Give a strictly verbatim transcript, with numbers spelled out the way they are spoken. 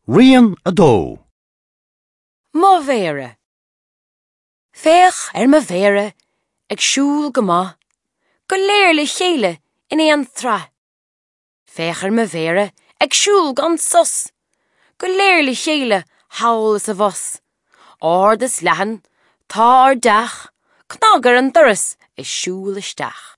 Rian a dó. Mo mhéara. Féach ar mo mhéara ag siúl go maith, go léir le chéile in aon tsraith. Féach ar mo mhéara ag siúl gan sos, go léir le chéile thall is abhus. Ard is leathan, tá ár dteach, cnag ar an doras is siúil isteach.